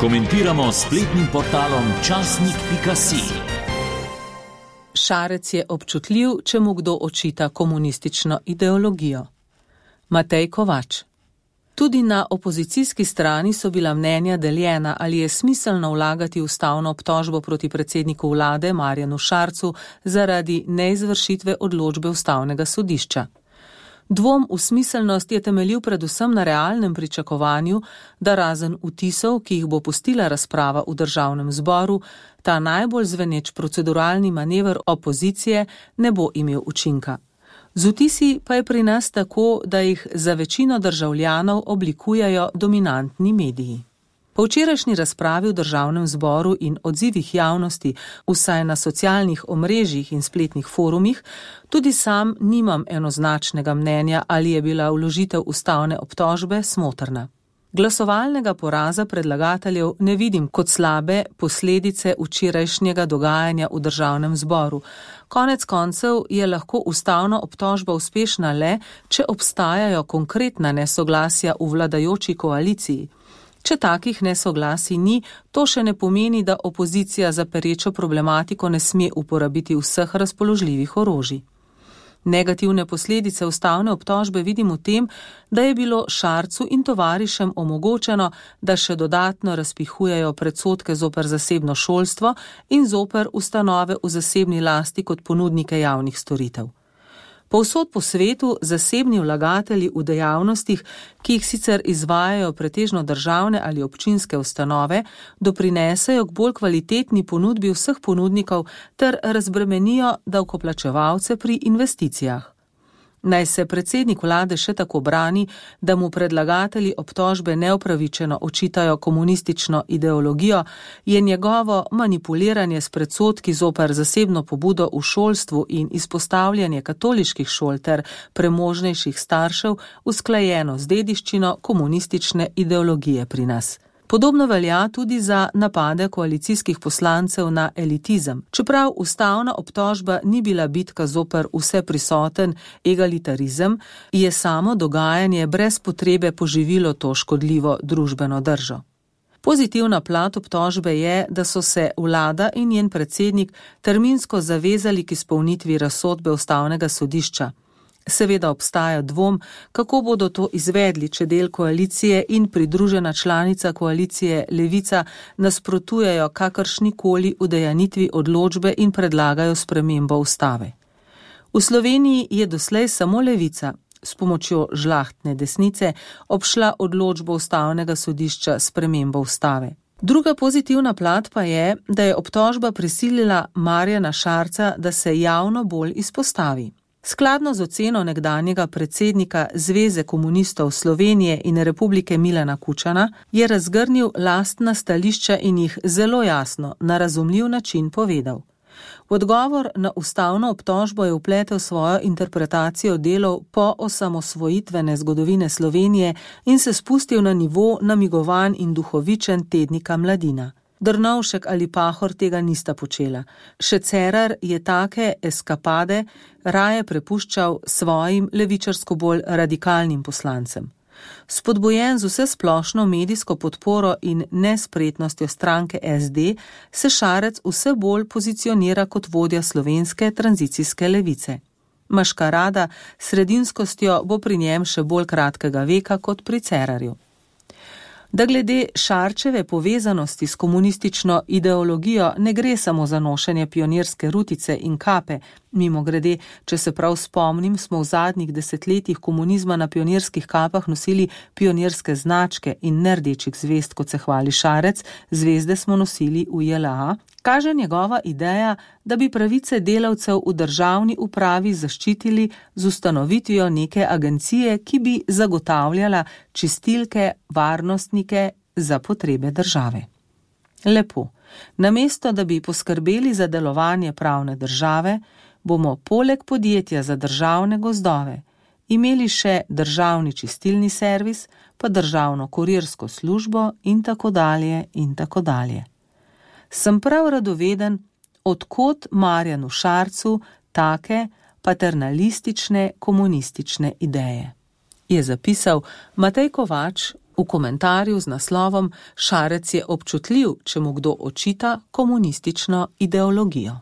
Komentiramo s spletnim portalom časnik.si. Šarec je občutljiv, če mu kdo očita komunistično ideologijo. Matej Kovač. Tudi na opozicijski strani so bila mnenja deljena, ali je smiselno vlagati ustavno obtožbo proti predsedniku vlade Marjanu Šarcu zaradi neizvršitve odločbe ustavnega sodišča. Dvom v smiselnost je temeljil predvsem na realnem pričakovanju, da razen vtisov, ki jih bo pustila razprava v državnem zboru, ta najbolj zveneč proceduralni manever opozicije ne bo imel učinka. Z vtisi pa je pri nas tako, da jih za večino državljanov oblikujejo dominantni mediji. Po včerajšnji razpravi v državnem zboru in odzivih javnosti, vsaj na socialnih omrežjih in spletnih forumih, tudi sam nimam enoznačnega mnenja, ali je bila vložitev ustavne obtožbe smotrna. Glasovalnega poraza predlagateljev ne vidim kot slabe posledice včerajšnjega dogajanja v državnem zboru. Konec koncev je lahko ustavna obtožba uspešna le, če obstajajo konkretna nesoglasja v vladajoči koaliciji. Če takih nesoglasij ni, to še ne pomeni, da opozicija za perečo problematiko ne sme uporabiti vseh razpoložljivih orožij. Negativne posledice ustavne obtožbe vidim v tem, da je bilo Šarcu in tovarišem omogočeno, da še dodatno razpihujejo predsodke zoper zasebno šolstvo in zoper ustanove v zasebni lasti kot ponudnike javnih storitev. Povsod po svetu zasebni vlagatelji v dejavnostih, ki jih sicer izvajajo pretežno državne ali občinske ustanove, doprinesejo k bolj kvalitetni ponudbi vseh ponudnikov ter razbremenijo davkoplačevalce pri investicijah. Naj se predsednik vlade še tako brani, da mu predlagatelji obtožbe neupravičeno očitajo komunistično ideologijo, je njegovo manipuliranje s predsodki zoper zasebno pobudo v šolstvu in izpostavljanje katoliških šol ter premožnejših staršev usklajeno z dediščino komunistične ideologije pri nas. Podobno velja tudi za napade koalicijskih poslancev na elitizem. Čeprav ustavna obtožba ni bila bitka zoper vse prisoten egalitarizem, je samo dogajanje brez potrebe poživilo to škodljivo družbeno držo. Pozitivna plat obtožbe je, da so se vlada in njen predsednik terminsko zavezali k izpolnitvi razsodbe ustavnega sodišča. Seveda obstaja dvom, kako bodo to izvedli, če del koalicije in pridružena članica koalicije Levica nasprotujejo kakršnikoli udejanitvi odločbe in predlagajo spremembo ustave. V Sloveniji je doslej samo Levica s pomočjo žlahtne desnice obšla odločbo ustavnega sodišča s spremembo ustave. Druga pozitivna plat pa je, da je obtožba prisilila Marjana Šarca, da se javno bolj izpostavi. Skladno z oceno nekdanjega predsednika Zveze komunistov Slovenije in Republike Milana Kučana je razgrnil lastna stališča in jih zelo jasno, na razumljiv način povedal. V odgovor na ustavno obtožbo je vpletel svojo interpretacijo delov po osamosvojitvene zgodovine Slovenije in se spustil na nivo namigovanj in duhovičen tednika Mladina. Drnovšek ali Pahor tega nista počela. Še Cerar je take eskapade raje prepuščal svojim levičarsko bolj radikalnim poslancem. Spodbujen z vse splošno medijsko podporo in nespretnostjo stranke SD, se Šarec vse bolj pozicionira kot vodja slovenske tranzicijske levice. Maškarada s sredinskostjo bo pri njem še bolj kratkega veka kot pri Cerarju. Da glede Šarčeve povezanosti s komunistično ideologijo ne gre samo za nošenje pionirske rutice in kape. Mimogrede, če se prav spomnim, smo v zadnjih desetletjih komunizma na pionirskih kapah nosili pionirske značke in ne rdečih zvezd, kot se hvali Šarec, zvezde smo nosili v JLA. Kaže njegova ideja, da bi pravice delavcev v državni upravi zaščitili z ustanovitvijo neke agencije, ki bi zagotavljala čistilke, varnostnike za potrebe države. Lepo. Namesto, da bi poskrbeli za delovanje pravne države, bomo poleg podjetja za državne gozdove imeli še državni čistilni servis, pa državno kurirsko službo in tako dalje in tako dalje. Sem prav radoveden, odkot Marjanu Šarcu take paternalistične komunistične ideje, je zapisal Matej Kovač v komentarju z naslovom Šarec je občutljiv, če mu kdo očita komunistično ideologijo.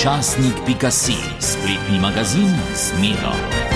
Časnik.si, spletni magazin z Miro.